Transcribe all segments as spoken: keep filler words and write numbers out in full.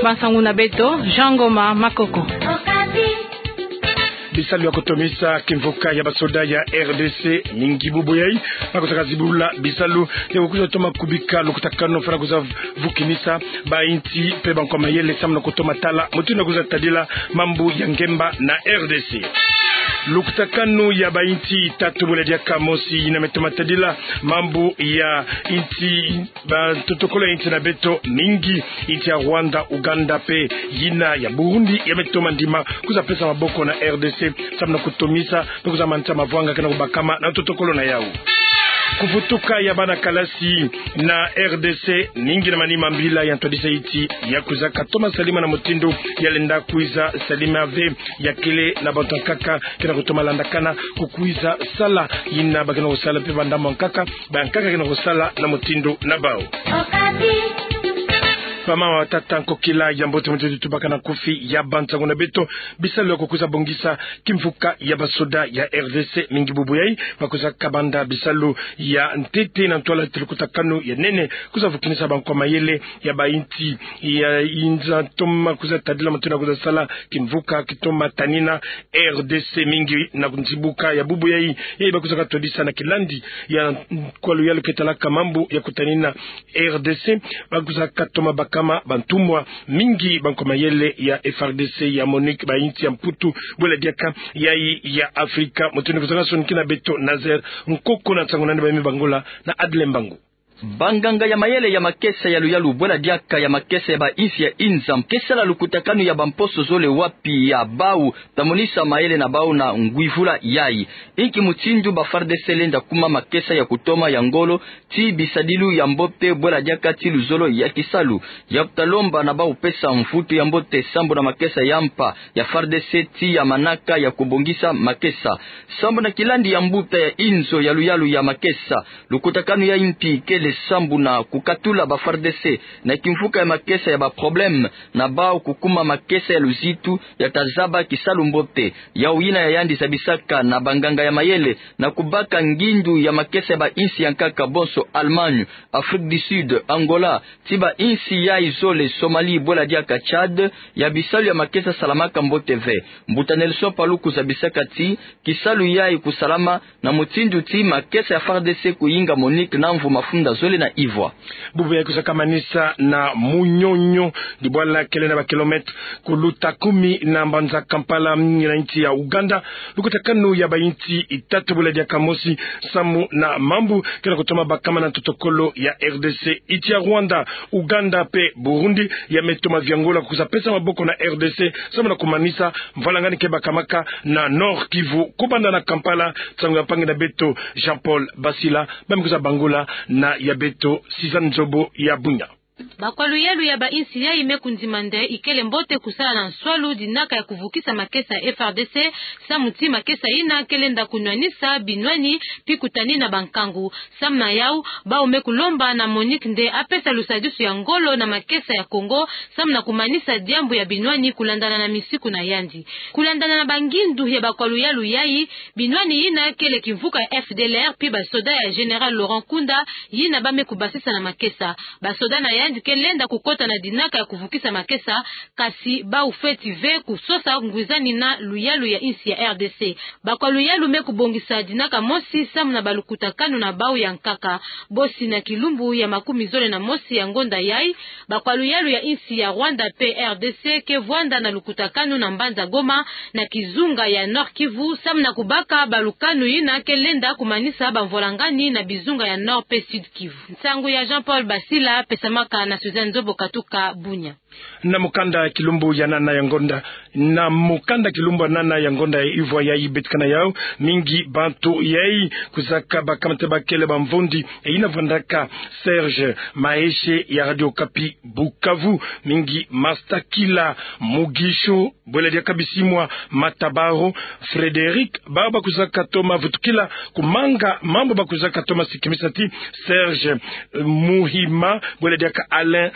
Bansangu na beto, Jean Ngoma Makoko. Bisalu ya kotomisa kimvuka ya basoda ya R D C mingi bubu yayi, bakusaka zibula bisalu ya kukwiza toma kubika lukutakanu fwana kwiza vukinisa bainsi mpe bankwa mayele samu na kutoma tala mutindu ya kwiza tadila mambu ya ngemba na R D C. Lukutakanu ya bainsi tatu bwela diaka mosi yina me toma tadila mambu ya insi, ba protocole ya insi na beto mingi, insi ya Rwanda, Uganda mpe yina ya Burundi ya me toma ndima kwiza pesa maboko na R D C samu na kutomisa mpe kwiza manisa mavwanga kena kubakama na protocole na yau. Kuvutuka ya bana kalasi na R D C, mingi na manima mbila ya ntwadisa insi ya kwizaka toma salima na mutindu ya lenda kwiza salima ve, ya kele na bantu ankaka kena kutoma landakana kukwiza sala yina bakena kusala mpe bandambu ankaka, bankaka kena kusala na mutindu na bau. Bamama, batata, nkokila ya mbote, mutindu tubaka na nkufi ya bansangu na beto, bisalu ya kukwiza bongisa kimvuka ya basoda ya R D C mingi bubu yayi, bakwizaka banda bisalu ya ntete na ntwala ti lukutakanu ya nene kwiza vukinisa bankwa mayele ya bainsi ya inza toma kwiza tadila mutindu ya kwiza sala kimvuka kitoma tanina R D C mingi na nzibuka ya bubu yayi. Yayi bakwizaka twadisa na kilandi ya kwa luyalu ke talaka mambu ya kutanina R D C, bakwizaka toma bakama bantumwa mingi bankwa mayele ya F R D C, ya MONUC, bainsi ya Mputu, bwela diaka yayi ya Afrika. Mutindu kwizaka sonikina beto Nazaire Nkoko na nsangu nani, ba mi bangula na Adle Mbangu. Banganga ya mayele ya makesa ya luyalu bwela diaka ya makesa ya bainsi ya inza ke sala lukutakanu ya bamposo zole wapi ya bau ta monisa mayele na bau na ngwivula yayi. Inki mutindu ba F A R D C lenda kuma makesa ya kutoma ya ngolo ti bisadilu ya mbote bwela diaka ti luzolo ya kisalu, ya kuta lomba na bau pesa mvutu ya mbote sambu na makesa ya mpa ya F A R D C ti ya manaka ya kubongisa makesa. Sambu na kilandi ya mbuta ya inzo ya luyalu ya makesa, lukutakanu yayi mpi kele sambu na kukatula ba F A R D C na kimvuka ya makesa ya ba problème, na bau kukuma makesa ya luzitu ya ta zaba kisalu mbote. Yau yina ya yandi zabisaka na banganga ya mayele na kubaka ngindu ya makesa ya bainsi ya nkaka bonso: Allemagne, Afrique du Sud, Angola, ti bainsi yayi zole: Somalie bwela diaka Tchad, ya bisalu ya makesa salamaka mbote ve. Mbuta Nelson Paluku zabisaka ti kisalu yayi kusalama na mutindu ti makesa ya F A R D C kuyinga MONUC na mvu mafunda zole na ivwa. Bubu yayi kwizaka manisa na Munyonyo, dibwala kele na ba kilomètre kuluta kumi na mbanza Kampala, mingi na insi ya Ouganda. Lukutakanu ya bainsi itatu bwela diaka mosi samu na mambu kena kutoma bakama na protocole ya R D C. Insi ya Rwanda, Ouganda mpe Burundi ya me toma viangula kwiza pesa maboko na R D C samu na kumanisa mvwalangani ke bakamaka na Nord-Kivu. Kubanda na Kampala, nsangu ya mpangi na beto Jean-Paul Basila, ba mi kwiza bangula na ya beto Suzanne Nzobo ya Bunia. Bakwa luyalu ya bainsi yayi me kundima nde ikele mbote kusala na nswalu dinaka ya kuvukisa makesa ya F A R D C, samu ti makesa yina ke lenda kunwanisa binwani mpi kutanina bankangu. Samu na yau, bau me kulomba na MONUC nde apesa lusadisu ya ngolo na makesa ya Congo, samu na kumanisa diambu ya binwani kulandana na misiku na yandi. Kulandana na bangindu ya bakwa luyalu yayi, binwani yina kele kimvuka ya F D L R mpi basoda ya Général Laurent Nkunda yina ba me kubasisa na makesa. Basoda na yandi ke lenda kukota na dinaka ya kuvukisa makesa, kasi bau fweti ve kusosa ngwizani na luyalu ya insi ya R D C. Bakwa luyalu me kubongisa dinaka mosi samu na balukutakanu na bau ya nkaka. Bosi na kilumbu ya makumi zole na mosi ya ngonda yayi, bakwa luyalu ya insi ya Rwanda mpe R D C ke vwanda na lukutakanu na mbanza Goma, na kizunga ya Nord-Kivu, samu na kubaka balukanu yina ke lenda kumanisa bamvwalangani na bizunga ya Nord mpe Sud-Kivu. Nsangu ya Jean-Paul Basila, pesamaka na Suzanne Nzobo katuka Bunia. Na mukanda kilumbu ya nana ya ngonda, na mukanda kilumbu ya nana ya ngonda ya ivwa yayi betikana yau, mingi bantu yayi kwizaka bakama nde bakele bamvundi, e yina vwandaka Serge Maheshe ya Radio Okapi Bukavu, mingi Mastakila Mugisho, bwela diaka Bisimwa Matabaro, Frédéric, bau bakwizaka toma vutukila kumanga mambu bakwizaka toma sikimisa ti Serge, eh, Muhima, bwela diaka Alain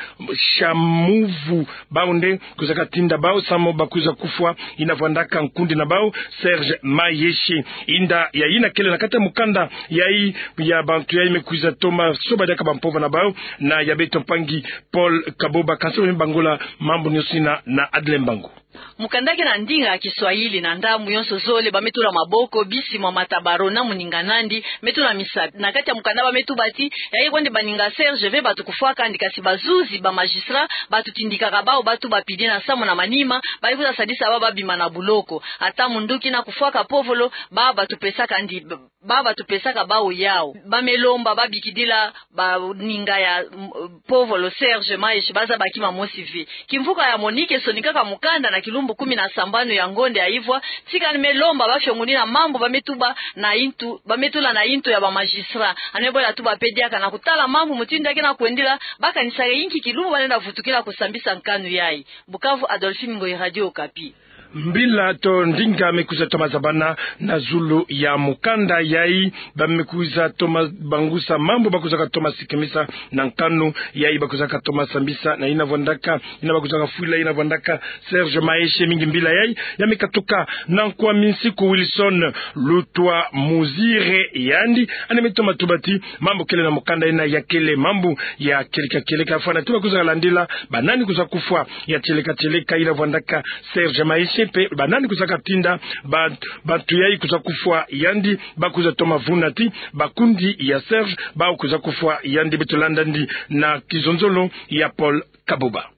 Chamuva, Pu bau nde kwizaka tinda bau samu ba kwiza kufwa yina vwandaka nkundi na bau, Serge Maeshe. Inda ya yina kele na kati ya mukanda yayi ya bantu yayi me kwiza toma soba diaka bampovolo na bau, na ya beto mpangi Paul Kaboba. Kansi bamibangula mambu nyonso yina na Adle Mbangu. Mukanda ke na ndinga ya Kiswahili na ndambu yonso zole ba me tula maboko, bisi mwa matabaro na muninga nandi, me tula misapi. Na kati ya mukanda ba me tuba ti, yayi kwandi baninga Serge ve batu kufwaka andi, kasi bazuzi, ba magistrat, batu tindikaka bau, batu bapidi na samu na manima, ba ikwiza sadisa bau ba bima na buloko. Ata munduki na kufwaka povolo, bau batu pesaka andi, bau batu pesaka bau yau. Ba me lomba, ba bikidila baninga ya, mm, povolo Serge Maeshe, ba zaba kima mosi ve. Kimvuka ya Monique sonikaka mukanda na kilumbu kumi na sambanu ya ngonda ya ivwa, ti kani me lomba ba fiongunina mambu ba me tuba na intu, ba me tula na intu ya ba magistrat. Ani me bwela tuba pe diaka na kutala mambu mutindu ya ke na kwendila, ba kanisaka inki kilumbu ba lenda vutukila kusambisa nkanu yayi. Bukavu, Adolphine Ngoyi, Radio Okapi. Mbila to ndinga me kwiza toma zabana na zulu ya mukanda yayi, ba me kwiza toma bangusa mambu ba kwizaka toma sikimisa na nkanu yayi ba kwizaka toma sambisa na yina vwandaka, yina ba kwizaka fwila yina vwandaka Serge Maeshe. Mingi mbila yayi ya me katuka na nkwa minsiku Wilson Lutwa Muzire, yandi ani me toma tuba ti mambu kele na mukanda yina ya kele mambu ya kieleka kieleka, fwana ti ba kwizaka landila banani kwiza kufwa ya kieleka kieleka yina vwandaka Serge Maeshe, mpe banani kwizaka tinda ba, bantu yayi kwiza kufwa yandi. Ba kwiza toma vuna ti bakundi ya Serge bau kwiza kufwa yandi. Beto landa andi na kizonzolo ya Paul Kaboba.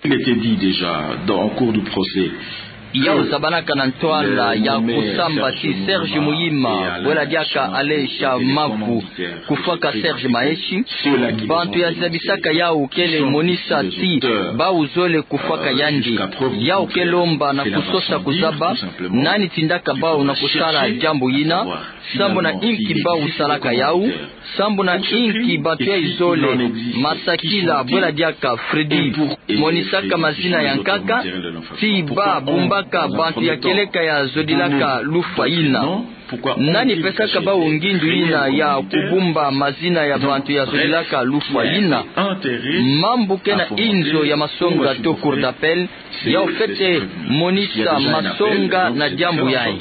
Il était dit déjà dans, en cours du procès. Yau zabanaka na ntwala ya kusamba ti Serge Muyima, bwela diaka Alain Shamaku, kufwaka Serge Maeshe. Bantu ya zabisaka yau kele monisa ti bau zole kufwaka yandi. Yau ke lomba na kusosa kuzaba nani tindaka bau na kusala diambu yina, sambu na inki bau salaka yau, sambu na inki bantu yayi zole, Masakila, bwela diaka Freddy, monisaka mazina ya nkaka, ti ba bumbaka bantu ya kieleka ya zodilaka lufwa yina. Nani pesaka bau ngindu yina ya kubumba mazina ya bantu ya zodilaka lufwa yina? Mambu ke na inzo ya masonga to cour d'appel, yau fwete monisa masonga na diambu yayi.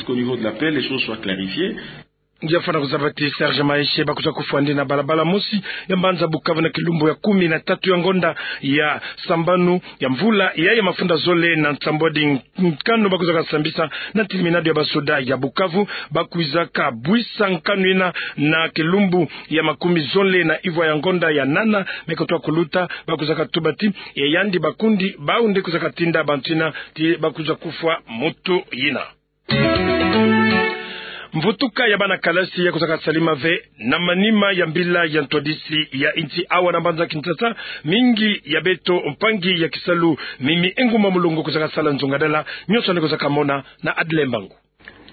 Ngia fwana kuzaba ti Serge Maeshe ba kwiza kufwa andi na balabala mosi ya mbanza Bukavu na kilumbu ya kumi na tatu ya ngonda ya sambanu ya mvula yayi ya mafunda zole na nsambwadi nkanu ba kwizaka sambisa na terminado ya basoda ya Bukavu. Ba kwizaka bwisa nkanu yina na kilumbu ya makumi zole na ivwa ya ngonda ya nana me kotwa kuluta. Ba kwizaka tuba ti ya yandi bakundi bau nde kwizaka tinda bantu yina ti ba kwiza kufwa mutu yina. Mvutuka ya bana kalasi ya kwizaka salama ve na manima ya mbila ya ntwadisi ya insi awa na mbanza Kinshasa. Mingi ya beto mpangi ya kisalu Mimi Engumba Mulongo kwizaka sala nzongadala, nyonso yandi kwizaka mona na Adle Mbangu.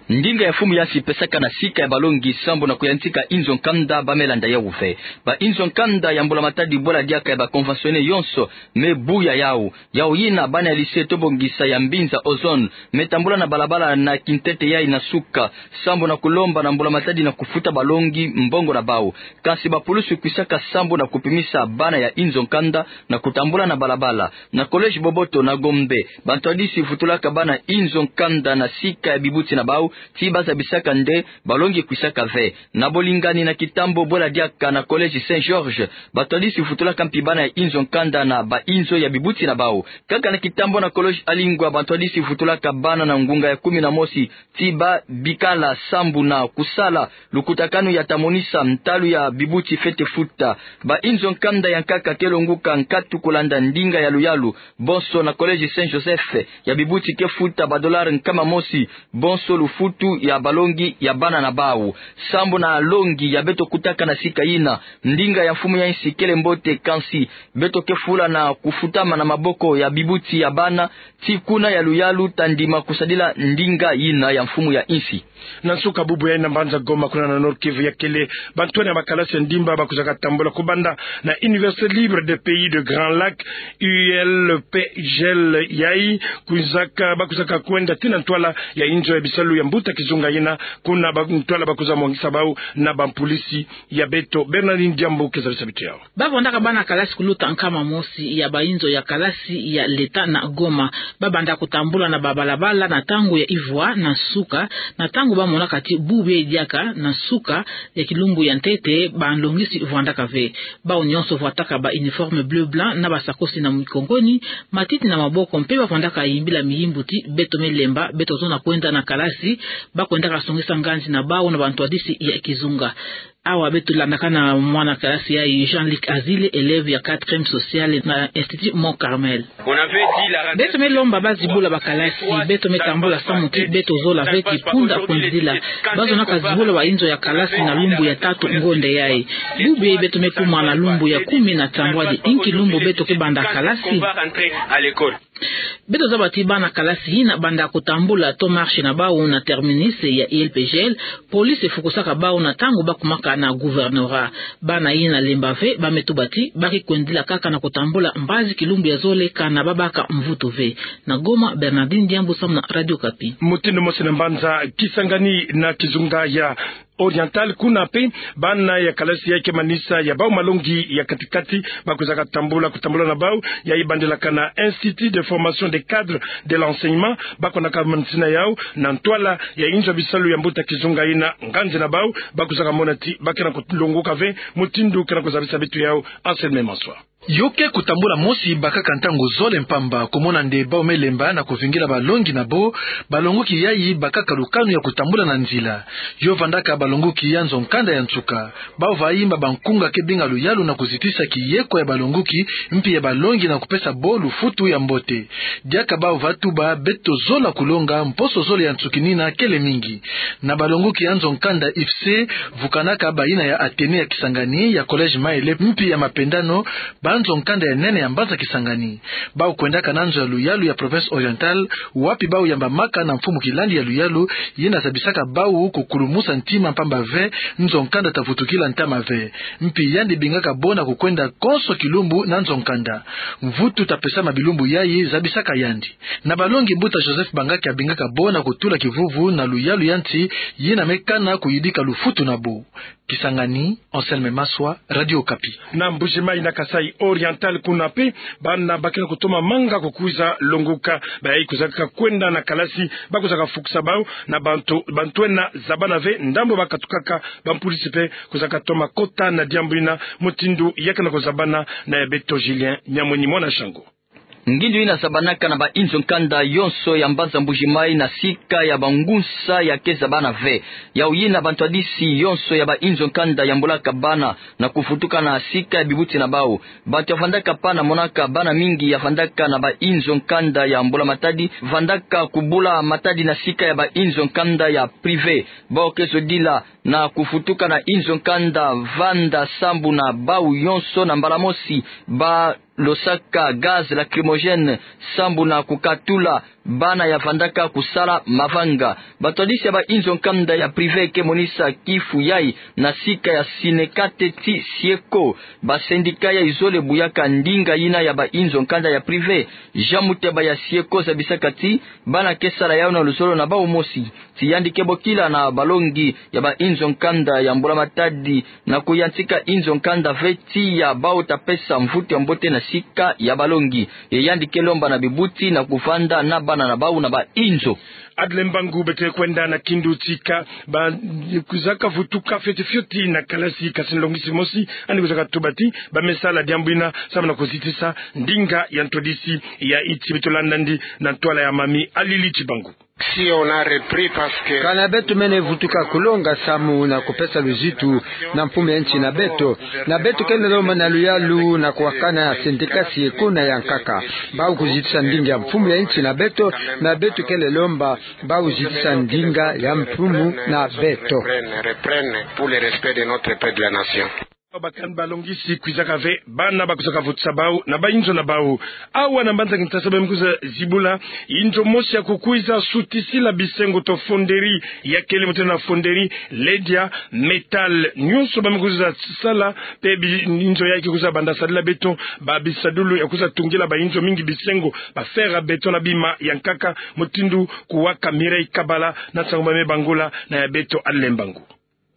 Ndinga ya mfumu ya nsi pesaka na sika ya balongi sambu na kuyantika inzo nkanda ba me landa yau ve. Ba inzo nkanda ya mbula matadi bwela diaka ya ba conventionnaires yonso me buya yau. Yau yina bana ya lycée Tobongisa ya Mbinza Ozone me tambula na balabala na kintete yayi na suka, sambu na kulomba na mbula matadi na kufuta balongi mbongo na bau. Kansi bapulusu kwisaka sambu na kupimisa bana ya inzo nkanda na kutambula na balabala. Na collège Boboto na Gombe, bantwadisi vutulaka bana inzo nkanda na sika ya bibuti na bau, ti ba zabisaka nde balongi kwisaka ve. Na bolingani na kitambo bwela diaka na collège Saint Georges, bantwadisi vutulaka mpi bana ya inzo nkanda na ba inzo ya bibuti na bau. Kaka na kitambo na collège Alingwa, bantwadisi vutulaka bana na ngunga ya kumi na mosi, ti ba bikala sambu na kusala lukutakanu ya ta monisa ntalu ya bibuti fwete futa. Ba inzo nkanda ya nkaka ke longuka nkatu kulanda ndinga ya luyalu. Bonso na collège Saint Joseph, ya bibuti ke futa ba dollars nkama mosi, bonso lufutu ya balongi ya bana na bau. Sambu na longi ya beto kutaka na sika yina, ndinga ya mfumu ya nsi kele mbote, kansi beto ke fula na kufutama na maboko ya bibuti ya bana, ti kuna ya luyalu ta ndima kusadila ndinga yina ya mfumu ya nsi. Na nsuka bubu yayi na mbanza Goma, kuna na Nord-Kivu, ya kele bantwenia ya makalasi ya ndimba ba kwizaka tambula kubanda na Université Libre des Pays du Grand Lac, U L P G L, yayi kwizaka, ba kwizaka kwenda tii na ntwala ya inzo ya bisalu ya mbuta kizunga yina, kuna ba ntwala ba kwiza mwangisa bau na bampulisi ya beto. Bernardine Diambu ke zabisa bitu yau. Ba vandaka bana kalasi kuluta nkama mosi ya bainzo ya kalasi ya leta na Goma. Ba banda kutambula na babalabala na ntangu ya ivwa na nsuka, na ntangu ba monaka ti bubu yai diaka na nsuka ya kilumbu ya ntete banlongisi vandaka ve. Bau nyonso vwataka ba uniforme bleu blanc na basakosi na mikongoni, matiti na maboko, mpe ba vandaka yimbila miyimbu ti: beto me lemba, beto zona kwenda na kalasi. Ba kwendaka songisa nganzi na bau na bantwadisi ya kizunga. Awa beto landaka na mwana kalasi yai, Jean-Luc Azile, élève ya quatrième sociale na Institut Mont Carmel. Beto me lomba ba zibula bakalasi, beto me tambula samu ti beto zola ve kipunda kwendila. Ba zonaka zibula bainzo ya kalasi na lumbu ya tatu ngonde yai. Bubu yai beto me kuma na lumbu ya kumi na tambwadi. Inki lumbu beto ke banda kalasi? Beto zaba ti bana kalasi yina banda kutambula to marche na bau na terminus ya I L P G L, police efukusaka bau na ntangu ba kumaka na gouvernorat. Bana yina lemba ve, ba me tuba ti ba ke kwendila kaka na kutambula mbazi kilumbu ya zole, kana ba baka mvutu ve. Na Goma, Bernardine Diambu samu na Radio Okapi. Mutindu mosi na mbanza Kisangani na kizunga ya Oriental, kuna mpe bana ya kalasi yai ke manisa ya bau malongi ya kati-kati, ba kwizaka tambula, kutambula na bau, yai bandilaka na Institut de formation des cadres de l'enseignement. Ba kwendaka manisina yau na ntwala ya inzo ya bisalu ya mbuta kizunga yina. Nganzi na bau, ba kwizaka mona ti ba ke na kulongoka ve. Mutindu ke na kuzabisa bitu yau Anselme Maswa. Yo ke kutambula mosi bakaka ntangu zole mpamba, kumona nde bau me lemba na kuvingila balongi na bo. Balongoki yai bakaka lukanu ya kutambula na nzila. Yo vandaka balongoki ya nzo-nkanda ya nsuka. Bau va imba bankunga ke binga luyalu na kuzitisa kiyeko ya balongoki, mpi ya balongi na kupesa bo lufutu ya mbote. Diaka bau va tuba beto zola kulonga, mposo zole ya nsukinina kele mingi. Na balongoki ya nzo-nkanda I F C, vukanaka bayina ya Athénée ya Kisangani, ya Collège Maele, mpi ya Mapendano, banzo-nkanda ya nene ya mbanza Kisangani. Bau kwendaka na nzo ya luyalu ya Province Orientale, wapi bau yambamaka na mfumu kilandi ya luyalu, yina zabisaka bau kukulumusa ntima mpamba ve nzo-nkanda ta vutukila ntama ve. Mpi yandi bingaka bo na kukwenda konso kilumbu na nzo-nkanda. Mvutu ta pesama bilumbu yai, zabisaka yandi. Na balongi, mbuta Joseph Bangaki abingaka bo na kutula kivuvu na luyalu ya nsi yina me kana kuyidika lufutu na bo. Kisangani, Anselme Maswa, Radio Okapi. Na Mbuji-Mayi na Kasaï Oriental, kuna mpe bana ba ke na kutoma manga kukwiza longoka. Bayai kwizaka kwenda na kalasi, ba kwizaka fukusa bau na bantu, bantu ena zabana ve ndambu ba katukaka. Bampulisi mpe kwizaka toma kota na diambu yina. Mutindu ya ke na kuzabana na ya beto Julien Nyamwenyi, mwana Shangu. Ngindu yina zabanaka na bainzo-nkanda yonso ya mbanza Mbuji-Mayi na sika ya bangunsa ya ke zabana ve. Yau yina bantwadisi yonso ya bainzo-nkanda yambulaka bana na kuvutuka na sika ya bibuti na bau. Bantu ya vandaka pana monaka bana mingi ya vandaka na bainzo-nkanda ya mbula-matadi, vandaka kubula matadi na sika ya bainzo-nkanda ya privé. Bau ke zodila na kuvutuka na inzo-nkanda vanda sambu na bau yonso na mbala mosi, ba losaka gaz lacrymogène sambu na kukatula bana ya vandaka kusala mavanga. Bantwadisi ya bainzo-nkanda ya privé ke monisa kifu yai na sika ya Synecat ti SYECO. Basendika yai zole buyaka ndinga yina ya bainzo-nkanda ya privé. Jean Muteba ya SYECO zabisaka ti bana ke sala yau na luzolo na bau mosi. Ti yandi ke bokila na balongi ya bainzo-nkanda ya mbula-matadi na kuyantika inzo-nkanda ve, tiya bau ta pesa mvutu ya mbote na sika ya balongi. Ye yandi ke lomba na bibuti na kuvanda na bana na bau na bainzo. Adle mbangu beto ke kwenda na kindu tika, ba kwizaka vutuka fioti fioti na kalasi, kasi nlongisi mosi yandi kwizaka tuba ti ba me sala diambu yina samu na kuzitisa ndinga ya ntwadisi ya insi. Beto landa yandi na ntwala ya Mami Alili Tibangu. Si on a repris parce que... Kana beto mene vutuka kulonga samu na kupesa luzitu na mfumu ya insi na beto. Na beto kele lomba na luyalu na kuwakana sendika SYECO na ya nkaka, bau kuzitisa ndinga ya mfumu ya insi na beto. Na beto kele lomba bau zitisa ndinga ya mfumu na beto. Reprenne, reprenne pour le respect de notre père, de la nation. Bakani balongisi kwizaka ve bana ba kwizaka vutisa bau na bainzo na bau. Awa na mbanza Kinshasa bamemi kwiza zibula inzo mosi ya kukwiza sutisila bisengo to fonderie, ya kele mutena fonderie Ledia Metal. Nyonso bamemi kwiza sala, pe bi-, inzo yayi ke kwiza banda sadila beton ba bisadulu ya kwiza tungila bainzo mingi bisengo, ba fer à béton na bima ya nkaka, mutindu kuwaka Mireille Kabala na nsangu bamemi bangula na ya beto Alain Mbangu.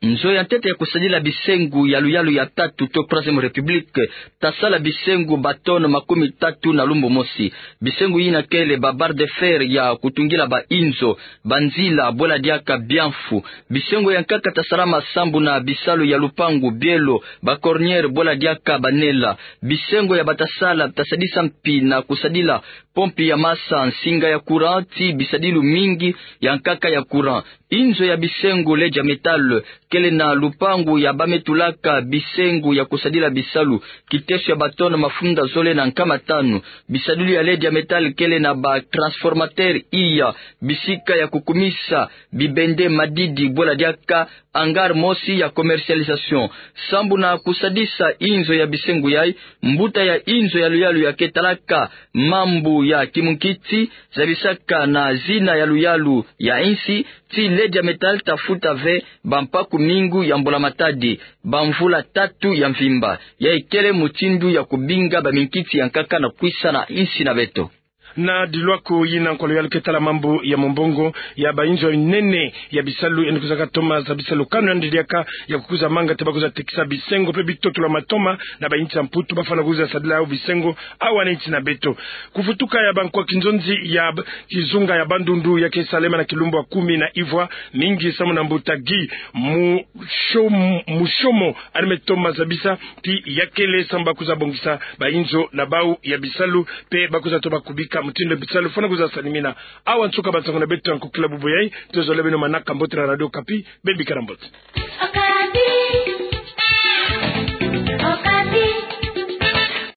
Nzo ya ntete ya kusadila bisengo ya luyalu ya tatu to Troisième République tasala bisengo ba tonnes makumi tatu na lumbu mosi. Bisengo yina kele ba barres de fer ya kutungila bainzo, banzila, bwela diaka biamfu. Bisengo ya nkaka tasalama sambu na bisalu ya lupangu, bielo, ba cornières, bwela diaka banela. Bisengo ya batasala tasadisa mpi na kusadila pompe ya masa, nsinga ya courant, ti bisadilu mingi ya nkaka ya courant. Inzo ya bisengo Ledia Metal kele na lupangu ya bamemi tulaka bisengo ya kusadila bisalu, kiteso ya ba tonnes mafunda zole na nkama tanu. Bisadulu ya Ledia Metal kele na ba transformateur iya, bisika ya kukumisa bibende, madidi, bwela diaka hangar mosi ya commercialisation. Sambu na kusadisa inzo ya bisengo yayi, mbuta ya inzo ya luyalu ya ketalaka mambu ya kimunkiti zabisaka na zina ya luyalu ya insi ti Ledia Metal tafuta ve bampaku mingu ya mbula-matadi, bamvula tatu ya mvimba. Yayi kele mutindu ya kubinga baminkiti ya nkaka na kwisa na insi na beto. Na dilwaku yina, nkwa luyalu ketala mambu ya mumbongo ya bainzo ya minene ya bisalu yandi kwizaka toma zabisa lukanu yandi diaka ya kukwiza manga ti ba kwiza tekisa bisengo pe bitoto lwa matoma na bainsi ya Mputu, bafwana kwiza sadila yau bisengo awa na insi na beto. Kuvutuka ya bankwa kinzonzi ya b-, kizunga ya Bandundu ya ke salema na kilumbu ya kumi na ivwa, mingi samu na mbuta Guy Mu-, Shom-, Mushomo, yandi me toma zabisa ti ya kele samu ba kwiza bongisa bainzo na bau ya bisalu, pe ba kwiza toma kubika mutindu bisalu fwana kwiza salimina. Awa nsuka ba nsangu na beto ya nkokila bubu yayi, tozolele beno manaka mbote na Radio Okapi, beno bikala mbote.